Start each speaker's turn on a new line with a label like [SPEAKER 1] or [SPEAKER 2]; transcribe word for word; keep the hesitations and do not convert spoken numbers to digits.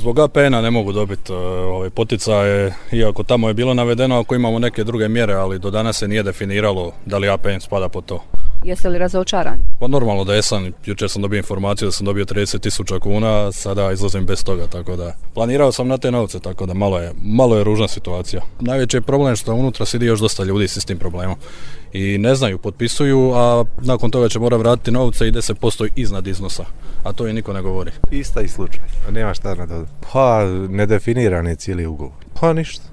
[SPEAKER 1] zbog A P N-a ne mogu dobiti uh, ove poticaje, iako tamo je bilo navedeno ako imamo neke druge mjere, ali do danas se nije definiralo da li A P N spada po to.
[SPEAKER 2] Jeste li razočarani?
[SPEAKER 1] Pa normalno da jesam, jučer sam dobio informaciju da sam dobio trideset tisuća kuna, sada izlazim bez toga, tako da planirao sam na te novce, tako da malo je, malo je ružna situacija. Najveći je problem što unutra sidi još dosta ljudi s istim problemom i ne znaju, potpisuju, a nakon toga će morati vratiti novce i deset posto iznad iznosa, a to i niko ne govori.
[SPEAKER 3] Ista i slučaj, nema šta na to. Pa, nedefiniran je cijeli ugovor. Pa ništa.